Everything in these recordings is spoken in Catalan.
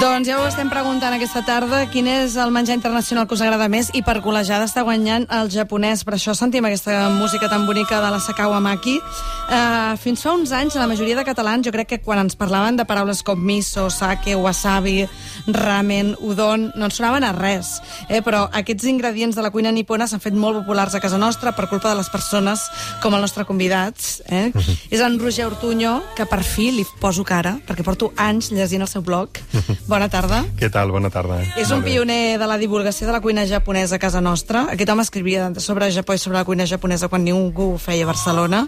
Doncs ja ho estem preguntant aquesta tarda, quin és el menjar internacional que us agrada més, i per golejada està guanyant el japonès. Per això sentim aquesta música tan bonica de la Sakao Maki. Fins fa uns anys, la majoria de catalans, jo crec que quan ens parlaven de paraules com miso, sake, wasabi, ramen, udon, no ens sonaven a res. Però aquests ingredients de la cuina nipona s'han fet molt populars a casa nostra per culpa de les persones com el nostre convidat. És en Roger Ortuño, que per fi li poso cara, perquè porto anys llegint el seu blog. Bona tarda. Què tal? Bona tarda. És un pioner de la divulgació de la cuina japonesa a casa nostra. Aquest home escrivia sobre Japó i sobre la cuina japonesa quan ningú ho feia a Barcelona.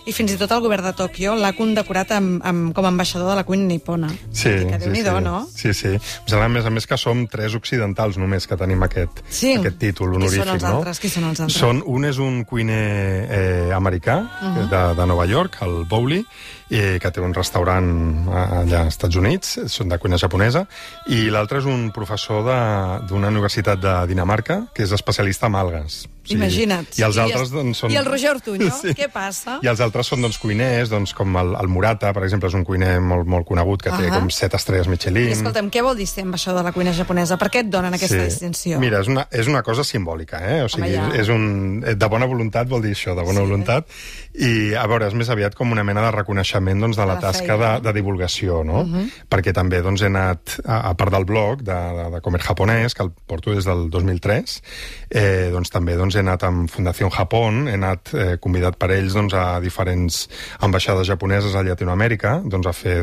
I fins i tot el govern de Tòquio l'ha condecorat com a ambaixador de la cuina nipona. Sí, Déu-n'hi-do, no? Sí. A més que som 3 occidentals només que tenim aquest títol honorífic, no? Qui són els altres? Un és un cuiner americà de Nova York, el Bowley, que té un restaurant allà als Estats Units, són de cuina japonesa, i l'altre és un professor d'una universitat de Dinamarca, que és especialista en algues. Imagina't. I els altres són... I el Roger Ortuño, què passa? I els altres són cuiners, com el Murata, per exemple, és un cuiner molt conegut, que té com 7 estrelles Michelin. I escolta'm, què vol dir ser ambaixador de la cuina japonesa? Per què et donen aquesta distinció? Mira, és una cosa simbòlica, O sigui, de bona voluntat vol dir això, de bona voluntat. I, a veure, és més aviat com una mena de reconeixement de la tasca de divulgació, no? Perquè també he anat, a part del blog de Comer Japonès, que el porto des del 2003, també he anat amb Fundació Japón, he anat convidat per ells a diferents ambaixades japoneses a Llatinoamèrica, a fer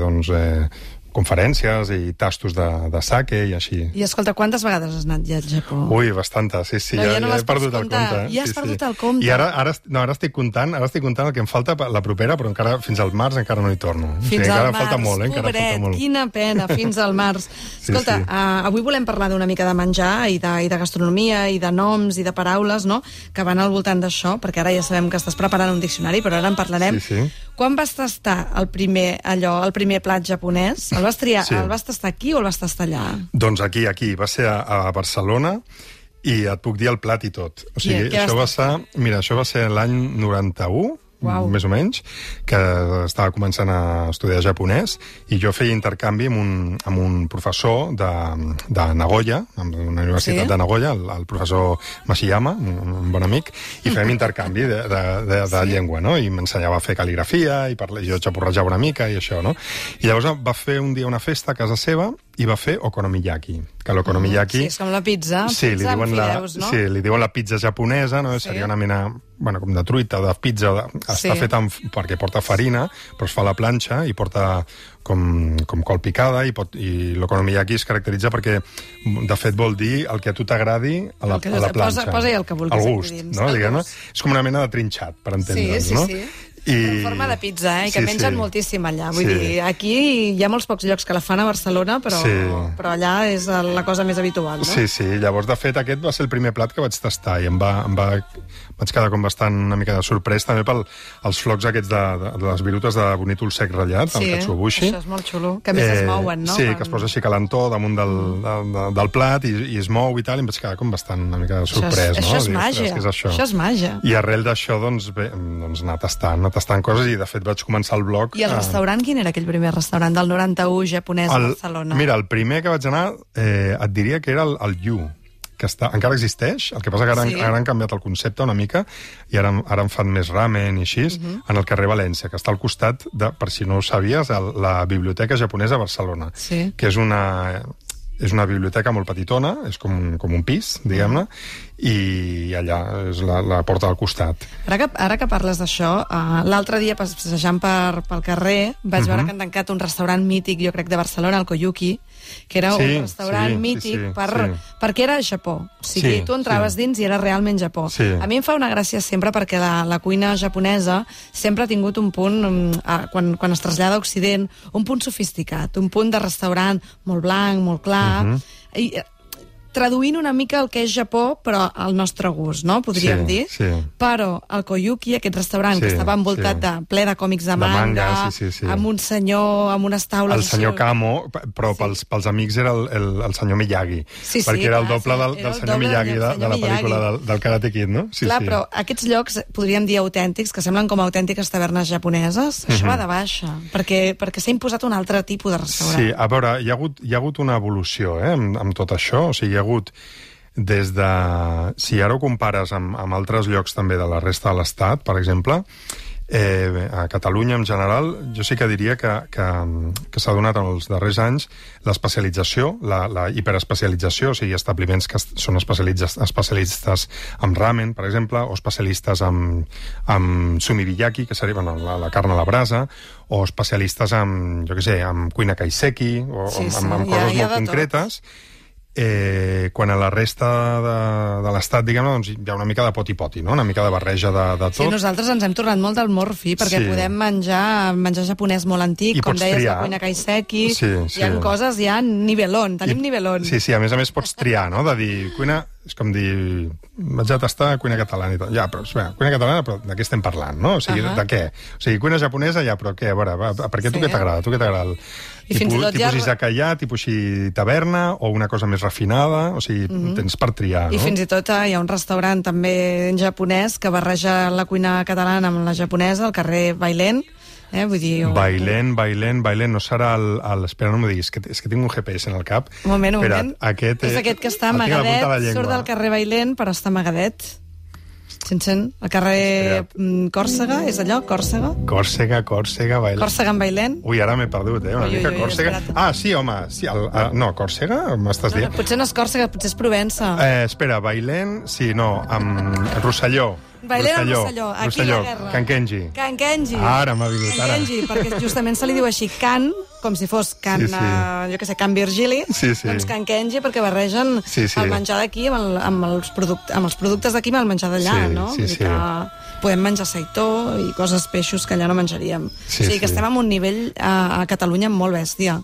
conferències i tastos de sake i així. I escolta, quantes vegades has anat ja al Japó? Ui, bastantes, sí, ja he perdut el compte. Ja has perdut el compte? I ara estic comptant el que em falta la propera, però encara fins al març encara no hi torno. Fins al març, falta molt, pobret, quina pena, fins al març. Escolta, avui volem parlar d'una mica de menjar i de gastronomia i de noms i de paraules, no?, que van al voltant d'això, perquè ara ja sabem que estàs preparant un diccionari, però ara en parlarem. Quan vas tastar el primer plat japonès? El vas tastar aquí o el vas tastar allà? Doncs aquí. Va ser a Barcelona i et puc dir el plat i tot. O sigui, això va ser l'any 91, més o menys, que estava començant a estudiar japonès, i jo feia intercanvi amb un professor de Nagoya, d'una universitat de Nagoya, el professor Mashiyama, un bon amic, i fèiem intercanvi de llengua, no? I m'ensenyava a fer cal·ligrafia, i jo xapurrejava una mica, i això, no? I llavors va fer un dia una festa a casa seva, i va fer okonomiyaki, que l'okonomiyaki... Sí, és com la pizza, pizza amb fideus, no? Sí, li diuen la pizza japonesa, no? Seria una mena, com de truita, de pizza, està feta perquè porta farina, però es fa a la planxa i porta com col picada, i l'okonomiyaki es caracteritza perquè, de fet, vol dir el que a tu t'agradi a la planxa. Posa-hi el que vulguis. El gust, no? Diguem-ne. És com una mena de trinxat, per entendre'ns, no? Sí. En forma de pizza, i que mengen moltíssim allà. Vull dir, aquí hi ha molts pocs llocs que la fan a Barcelona, però allà és la cosa més habitual, no? Sí. Llavors, de fet, aquest va ser el primer plat que vaig tastar, i vaig quedar com bastant una mica de sorprès, també pels flocs aquests de les virutes de bonítol sec ratllat, el katsuobushi. Això és molt xulo, que a més es mouen, no? Sí, que es posa així calentó damunt del plat i es mou i tal, i em vaig quedar com bastant una mica sorprès, no? Això és màgia, això és màgia. I arrel d'això, anar tastant coses, i de fet vaig començar el blog... I el restaurant, quin era aquell primer restaurant del 91 japonès a Barcelona? Mira, el primer que vaig anar, et diria que era el Yu, que encara existeix, el que passa que ara han canviat el concepte una mica, i ara en fan més ramen i així, en el carrer València, que està al costat, per si no ho sabies, la Biblioteca Japonesa a Barcelona, que és una biblioteca molt petitona, és com un pis, diguem-ne, i allà és la porta del costat. Ara que parles d'això, l'altre dia passejant pel carrer vaig veure que han tancat un restaurant mític, jo crec, de Barcelona, el Koyuki, que era un restaurant mític perquè era Japó. O sigui, tu entraves dins i era realment Japó. A mi em fa una gràcia sempre perquè la cuina japonesa sempre ha tingut un punt, quan es trasllada a Occident, un punt sofisticat, un punt de restaurant molt blanc, molt clar, i traduint una mica el que és Japó, però al nostre gust, no? Podríem dir. Sí. Però el Koyuki, aquest restaurant que estava envoltat ple de còmics de manga, amb un senyor, amb unes taules... El senyor Kamo, però pels amics era el senyor Miyagi, perquè era el doble del senyor Miyagi de la pel·lícula del Karate Kid, no? Clar, però aquests llocs, podríem dir autèntics, que semblen com autèntiques tavernes japoneses, això va de baixa, perquè s'ha imposat un altre tipus de restaurant. Sí, a veure, hi ha hagut una evolució amb tot això, o sigui, hi ha hagut des de... Si ara ho compares amb altres llocs també de la resta de l'Estat, per exemple, a Catalunya en general, jo sí que diria que s'ha donat en els darrers anys l'especialització, la hiperespecialització, o sigui, establiments que són especialistes en ramen, per exemple, o especialistes en sumibiyaki, que seria la carn a la brasa, o especialistes en, jo què sé, en cuina kaiseki, o en coses molt concretes. Quan a la resta de l'estat, diguem-ne, doncs hi ha una mica de poti-poti, no? Una mica de barreja de tot. Sí, nosaltres ens hem tornat molt del morfi, perquè podem menjar japonès molt antic, com deies, la cuina kaiseki, hi ha coses, hi ha nivelón, tenim nivelón. Sí, a més pots triar, no? De dir, cuina... És com dir, vaig a tastar cuina catalana i tot. Ja, però, cuina catalana, però de què estem parlant, no? O sigui, de què? O sigui, cuina japonesa, ja, però què? A veure, per què tu què t'agrada? Tu què t'agrada? Tipus izakaya, tipus taverna, o una cosa més refinada? O sigui, tens per triar, no? I fins i tot hi ha un restaurant també japonès que barreja la cuina catalana amb la japonesa, al carrer Bailén. Vull dir... Bailén, no serà el... Espera, no m'ho diguis, és que tinc un GPS en el cap. Un moment. És aquest que està amagadet, surt del carrer Bailén, però està amagadet. Al carrer Còrsega, és allò? Còrsega? Còrsega, Bailén. Còrsega en Bailén? Ui, ara m'he perdut, una mica Còrsega. Sí, home, no, Còrsega, m'estàs dient? Potser no és Còrsega, potser és Provença. Espera, Bailén, amb Rosselló. Bailén o Rosselló? Aquí la guerra. Can Kenji. Ara m'ha vingut, ara. Can Kenji, perquè justament se li diu així Can, com si fos Can, jo què sé, Can Virgili, doncs Can Kenji, perquè barregen el menjar d'aquí amb els productes d'aquí amb el menjar d'allà, no? Vull dir que podem menjar seitó i coses, peixos que allà no menjaríem. O sigui que estem en un nivell a Catalunya molt bèstia.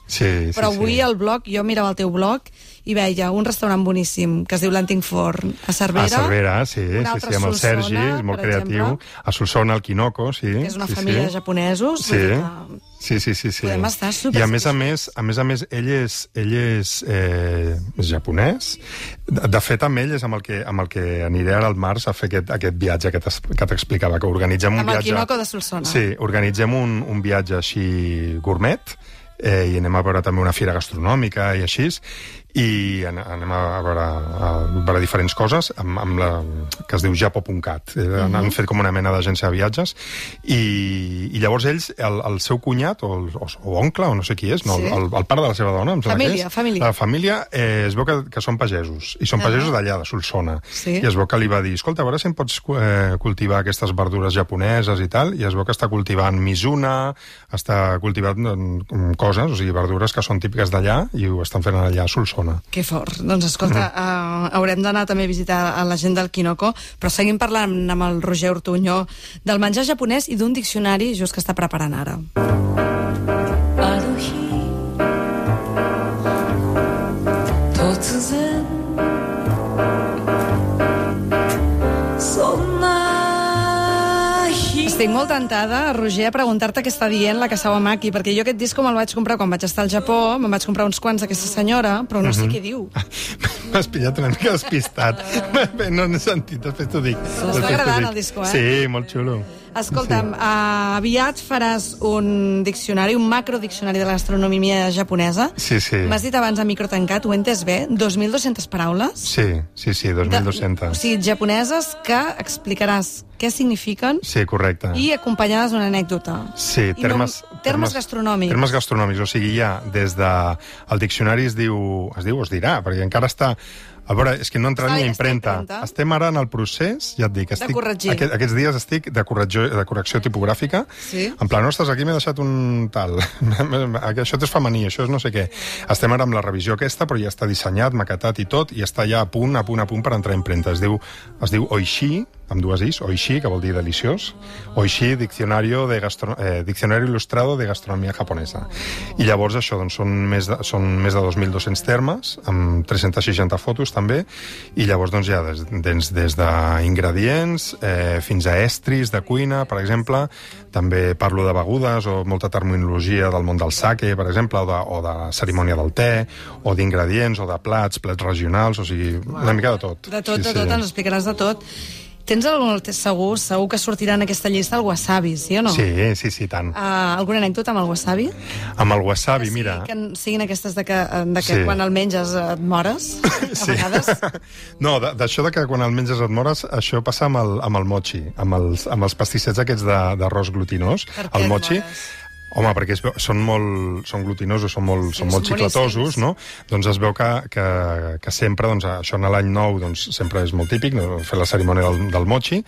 Però avui al blog, jo mirava el teu blog i veia un restaurant boníssim que es diu l'Antic Forn a Cervera. A Cervera, sí, amb el Sergi, és molt creatiu. A Solsona, el Kinoko, sí. Que és una família de japonesos. Sí. Podem estar super... I a més a més, ell és japonès. De fet, amb ell és amb el que aniré ara al març a fer aquest viatge que t'explicava, que organitzem un viatge... Amb el Kinoko de Solsona. Sí, organitzem un viatge així gourmet, i anem a veure també una fira gastronòmica i així, i anem a veure diferents coses que es diu Japo.cat. Han fet com una mena d'agència de viatges, i llavors ells, el seu cunyat o oncle, o no sé qui és, el pare de la seva dona, la família, es veu que són pagesos, i són pagesos d'allà, de Solsona, i es veu que li va dir, escolta, a veure si em pots cultivar aquestes verdures japoneses i tal, i es veu que està cultivant mizuna, està cultivant coses, o sigui, verdures que són típiques d'allà, i ho estan fent allà a Solsona. Que fort. Doncs escolta, haurem d'anar també a visitar a la gent del Kinoko, però seguim parlant amb el Roger Ortuño del menjar japonès i d'un diccionari just que està preparant ara. Estic molt tentada, Roger, a preguntar-te què està dient la Kasawamaki, perquè jo aquest disco me'l vaig comprar quan vaig estar al Japó, me'n vaig comprar uns quants d'aquesta senyora, però no sé què diu. M'has pillat una mica despistat. No n'he sentit, després t'ho dic. T'està agradant el disco, Sí, molt xulo. Escolta'm, aviat faràs un diccionari, un macrodiccionari de la gastronomia japonesa. Sí. M'has dit abans a micro tancat, ho he entès bé, 2.200 paraules? Sí, 2.200. O sigui, japoneses que explicaràs què signifiquen. Sí, correcte. I acompanyades d'una anècdota. Sí, termes gastronòmics. Termes gastronòmics, o sigui, ja des de... El diccionari es dirà, perquè encara està... A veure, és que no entra ni a impremta. Estem ara en el procés, ja et dic, de corregir. Aquests dies estic de correcció tipogràfica. Sí. En plan, ostres, aquí m'he deixat un tal. Això és femení, això és no sé què. Estem ara amb la revisió aquesta, però ja està dissenyat, maquetat i tot, i està ja a punt per entrar a impremta. Es diu Oishi, amb dues is, oishi, que vol dir deliciós, oishi, Diccionario Ilustrado de Gastronomia Japonesa. I llavors això, doncs, són més de 2.200 termes, amb 360 fotos també, i llavors doncs, ja des d'ingredients fins a estris de cuina, per exemple, també parlo de begudes o molta terminologia del món del sake, per exemple, o de la cerimònia del te, o d'ingredients, o de plats regionals, o sigui, una mica de tot. De tot, ens explicaràs de tot. Tens algun, segur que sortirà en aquesta llista el wasabi, sí o no? Sí, tant. Alguna anècdota amb el wasabi? Amb el wasabi, mira... Que siguin aquestes de que quan el menges et mores, a vegades? No, d'això de que quan el menges et mores, això passa amb el mochi, amb els pastissets aquests d'arròs glutinós. Per què et mores? Home, perquè són glutinosos, són molt xiclatosos, no? Doncs es veu que sempre, doncs, això en l'any nou, doncs, sempre és molt típic, no? Fer la cerimònia del mochi,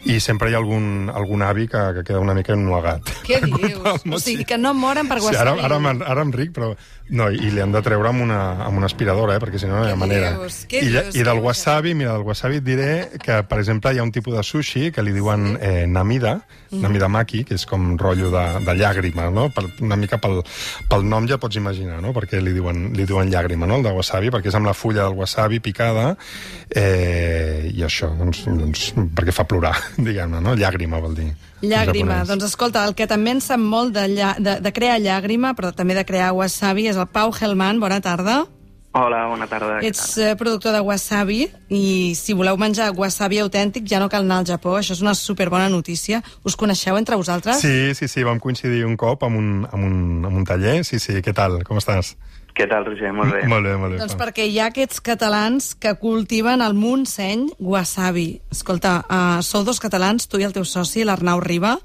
i sempre hi ha algun avi que queda una mica ennuegat. Què dius? O sigui, que no moren per wasabi. Sí, ara em ric, però... No, i li han de treure amb una aspiradora, perquè si no no hi ha manera. I del wasabi, mira, del wasabi et diré que, per exemple, hi ha un tipus de sushi que li diuen namidamaki, que és com rotllo de llàgrima, no? Una mica pel nom ja pots imaginar, no? Perquè li diuen llàgrima, no? El de wasabi, perquè és amb la fulla del wasabi picada, i això, doncs, perquè fa plorar, diguem-ne, no? Llàgrima vol dir. Llàgrima. Doncs escolta, el que també en sap molt de crear llàgrima, però també de crear wasabi, és el Pau Helman. Bona tarda. Hola, bona tarda. Ets productor de wasabi, i si voleu menjar wasabi autèntic ja no cal anar al Japó. Això és una superbona notícia. Us coneixeu entre vosaltres? Sí, vam coincidir un cop amb un taller. Sí, què tal? Com estàs? Què tal, Roger? Molt bé. Molt bé. Doncs perquè hi ha aquests catalans que cultiven al Montseny wasabi. Escolta, sou dos catalans, tu i el teu soci, l'Arnau Riba.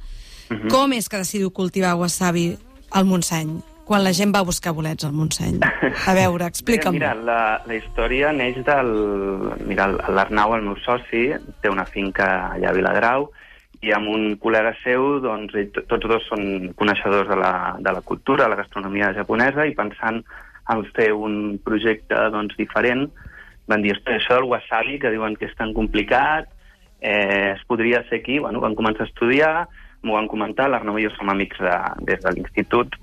Com és que decidiu cultivar wasabi al Montseny, quan la gent va a buscar bolets al Montseny? A veure, explica'm. Mira, la història neix del... Mira, l'Arnau, el meu soci, té una finca allà a Viladrau, i amb un col·lega seu, doncs, tots dos són coneixedors de la cultura, de la gastronomia japonesa, i pensant en fer un projecte, doncs, diferent, van dir, això del wasabi, que diuen que és tan complicat, es podria fer aquí. Bueno, van començar a estudiar, m'ho van comentar, l'Arnau i jo som amics des de l'institut,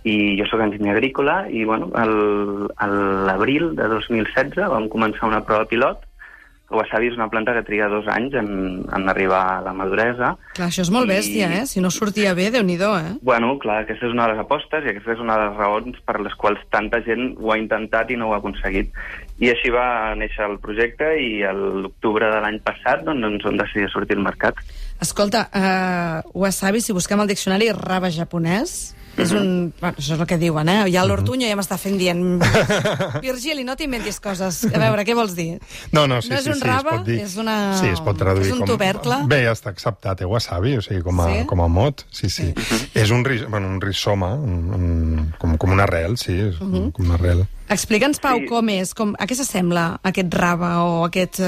i jo sóc enginyer agrícola, i bueno, a l'abril de 2016 vam començar una prova pilot. El wasabi és una planta que triga 2 anys en arribar a la maduresa. Clar, això és molt bèstia, Si no sortia bé, Déu-n'hi-do, Bueno, clar, aquesta és una de les apostes, i aquesta és una de les raons per les quals tanta gent ho ha intentat i no ho ha aconseguit. I així va néixer el projecte, i a l'octubre de l'any passat doncs vam decidir sortir al mercat. Escolta, wasabi, si busquem al diccionari, rave japonès, és un... Bueno, això és el que diuen, Ja l'Ortuño ja m'està fent dient Virgili, no t'inventis coses. A veure, què vols dir? No, sí, és un rave, és una... Sí, es pot traduir és un tubercle. Bé, ja està acceptat, wasabi, o sigui, com a mot. Sí. És un rizoma, com una arrel, sí, com una arrel. Explica'ns, Pau, com és, a què s'assembla aquest rave o aquest,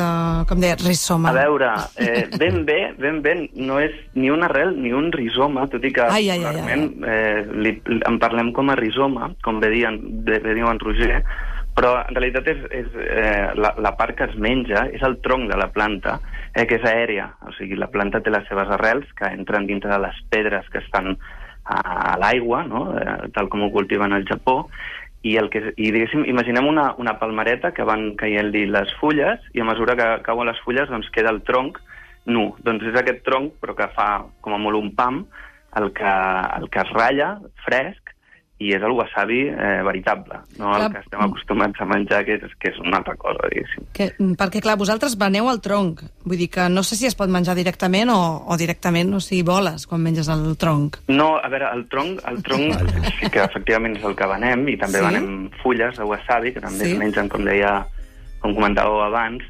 com deia, rizoma? A veure, ben bé, no és ni una arrel ni un rizoma, tot i que en parlem com a rizoma, com bé diu en Roger, però en realitat és la part que es menja, és el tronc de la planta, que és aèria, o sigui, la planta té les seves arrels que entren dintre de les pedres que estan a l'aigua, no? Tal com ho cultiven al Japó, i diguéssim, imaginem una palmereta que van caient-li les fulles, i a mesura que cauen les fulles doncs queda el tronc nu. Doncs és aquest tronc, però que fa com a molt un pam, el que es ratlla fresc, i és el wasabi veritable, no el que estem acostumats a menjar, que és una altra cosa, diguéssim. Perquè, clar, vosaltres veneu el tronc, vull dir que no sé si es pot menjar directament o directament, o sigui, voles quan menges el tronc. No, a veure, el tronc sí que efectivament és el que venem, i també venem fulles de wasabi, que també es mengen, com comentàveu abans.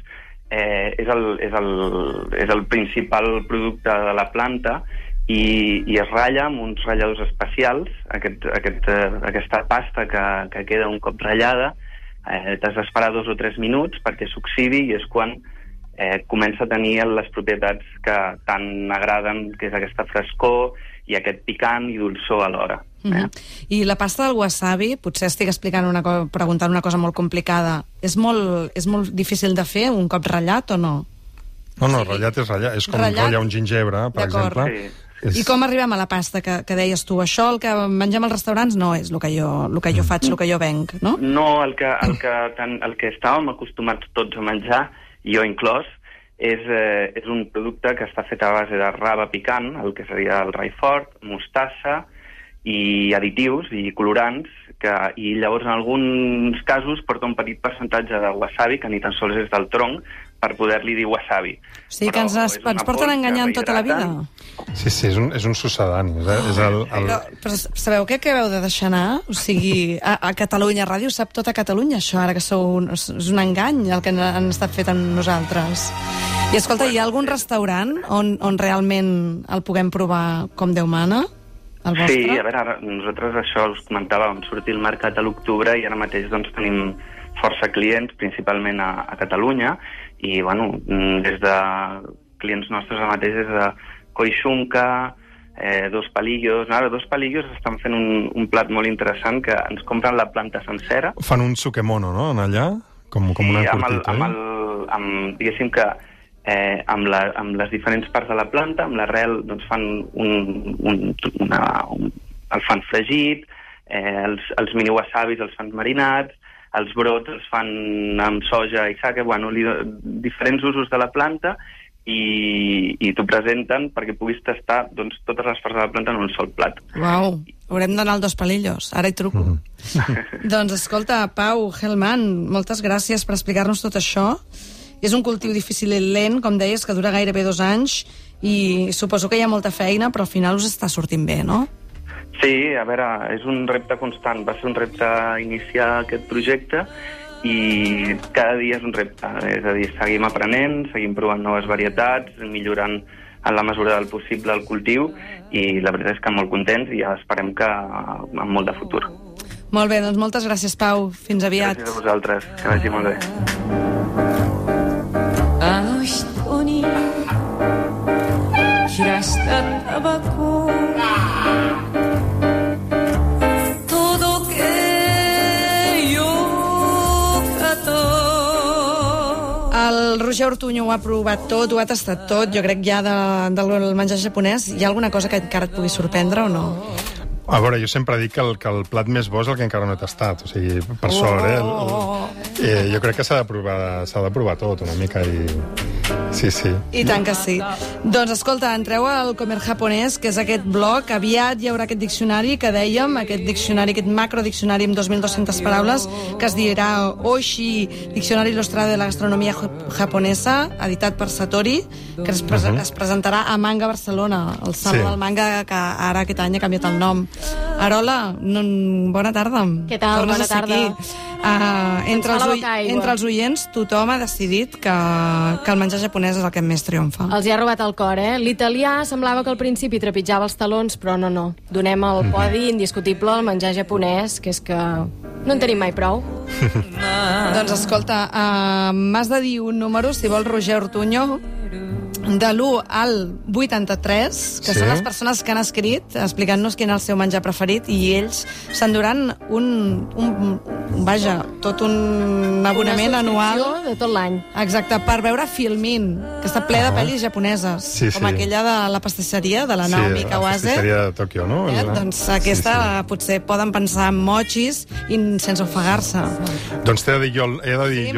És el principal producte de la planta, i es ratlla amb uns ratlladors especials. Aquesta pasta que queda un cop ratllada, t'has d'esperar 2 o 3 minuts perquè s'oxidi, i és quan comença a tenir les propietats que tant agraden, que és aquesta frescor i aquest picant i dolçor alhora. I la pasta del wasabi, potser estic preguntant una cosa molt complicada, és molt difícil de fer un cop ratllat o no? No, ratllat és ratllat. És com ratllar un gingebre, per exemple. I com arribem a la pasta que deies tu? Això, el que mengem als restaurants, no és el que jo faig, el que jo venc, no? No, el que estàvem acostumats tots a menjar, jo inclòs, és un producte que està fet a base de raba picant, el que seria el raifort, mostassa i additius i colorants, i llavors en alguns casos porta un petit percentatge de wasabi, que ni tan sols és del tronc, per poder-li dir wasabi. O sigui que ens porten enganyant tota la vida. Sí, és un sucedani. Però sabeu què acabeu de deixar anar? O sigui, a Catalunya Ràdio sap tot a Catalunya, això, ara que és un engany el que han estat fet amb nosaltres. I escolta, hi ha algun restaurant on realment el puguem provar com Déu mana? Sí, a veure, ara, nosaltres això us comentava, vam sortir al mercat a l'octubre i ara mateix doncs, tenim força clients, principalment a Catalunya, i bueno, des de clients nostres ara mateix des de Coixunca, Dos Palillos. Ara, Dos Palillos estan fent un plat molt interessant que ens compren la planta sencera. Fan un sukemono, no?, en allà? Com una curtita, diguéssim que amb les diferents parts de la planta, amb l'arrel doncs fan el fan fregit, els mini wasabis els fan marinats, els brots els fan amb soja i sake, diferents usos de la planta, i t'ho presenten perquè puguis tastar doncs, totes les parts de la planta en un sol plat. Uau, haurem d'anar al Dos Palillos, ara hi truco. Doncs escolta, Pau Hellman, moltes gràcies per explicar-nos tot això. És un cultiu difícil i lent, com deies, que dura gairebé 2 anys, i suposo que hi ha molta feina, però al final us està sortint bé, no? Sí, a veure, és un repte constant. Va ser un repte iniciar aquest projecte i cada dia és un repte. És a dir, seguim aprenent, seguim provant noves varietats, millorant en la mesura del possible el cultiu, i la veritat és que molt contents i ja esperem que amb molt de futur. Molt bé, doncs moltes gràcies, Pau. Fins aviat. Gràcies a vosaltres. Que vagi molt bé. El Roger Ortuño ho ha provat tot, ho ha tastat tot. Jo crec ja del menjar japonès. Hi ha alguna cosa que encara et pugui sorprendre o no? A veure, jo sempre dic que el plat més bo és el que encara no he tastat, o sigui, per sort, jo crec que s'ha de provar tot una mica i... Sí. I tant que sí. Doncs escolta, entreu al Comer Japonès, que és aquest blog, aviat hi haurà aquest diccionari que dèiem, aquest macrodiccionari amb 2.200 paraules, que es dirà Oishi, Diccionari Il·lustrado de la Gastronomia Japonesa, editat per Satori, que es presentarà a Manga Barcelona, el Saló del Manga, que ara aquest any ha canviat el nom. Arola, bona tarda. Què tal? Bona tarda. Entre els oients, tothom ha decidit que el menjar japonès és el que més triomfa. Els hi ha robat el cor, eh? L'italià semblava que al principi trepitjava els talons, però no. Donem el podi indiscutible al menjar japonès, que és que no en tenim mai prou. Doncs escolta, m'has de dir un número, si vol, Roger Ortuño, de l'1 al 83, que són les persones que han escrit explicant-nos quin és el seu menjar preferit, i ells s'enduran tot un abonament anual de tot l'any. Exacte, per veure Filmin, que està ple de pel·lis japoneses, com aquella de la pastisseria de la Naomi Kawase. Sí, la pastisseria de Tòquio, no? Doncs aquesta potser poden pensar en mochis i sense ofegar-se. Doncs he de dir jo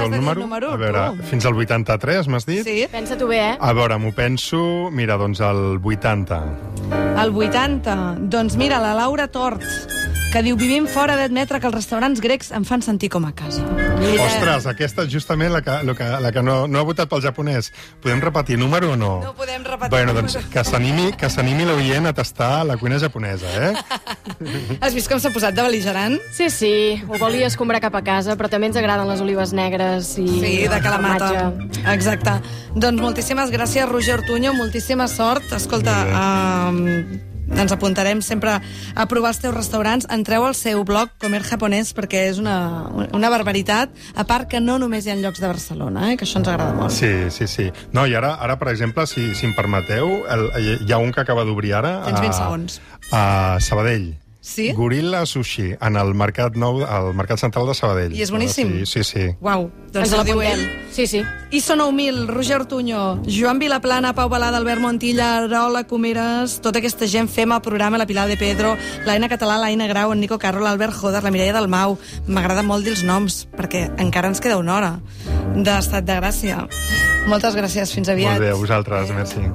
el número. A veure, fins al 83, m'has dit? Sí. Pensa-t'ho bé, eh? A veure, m'ho penso, mira, doncs el 80. El 80? Doncs mira, la Laura Tort, que diu: vivim fora d'admetre que els restaurants grecs em fan sentir com a casa. Ostres, aquesta és justament la que no ha votat pel japonès. Podem repetir número o no? No podem repetir. Bueno, doncs que s'animi l'oient a tastar la cuina japonesa, eh? Has vist com s'ha posat de bel·ligerant? Sí, ho volia escombrar cap a casa, però també ens agraden les olives negres i... Sí, de Kalamata. Exacte. Doncs moltíssimes gràcies, Roger Ortuño, moltíssima sort. Escolta, ens apuntarem sempre a provar els teus restaurants. Entreu al seu blog Comer Japonès, perquè és una barbaritat, a part que no només hi ha llocs de Barcelona, que això ens agrada molt. Sí. No, i ara per exemple, si em permeteu, hi ha un que acaba d'obrir ara. Tens 20 segons. A Sabadell. Sí? Gorilla Sushi, en el Mercat Nou, al Mercat Central de Sabadell. I és boníssim? Sí. Uau, doncs Ens ho diu ell. Sí. Iso 9000, Roger Ortuño, Joan Vilaplana, Pau Balada, Albert Montilla, Arola Comeres, tota aquesta gent fem el programa, la Pilar de Pedro, l'Aina Català, l'Aina Grau, en Nico Carro, l'Albert Joder, la Mireia Dalmau. M'agrada molt dir els noms, perquè encara ens queda una hora d'estat de gràcia. Moltes gràcies, fins aviat. Molt bé, a vosaltres, merci.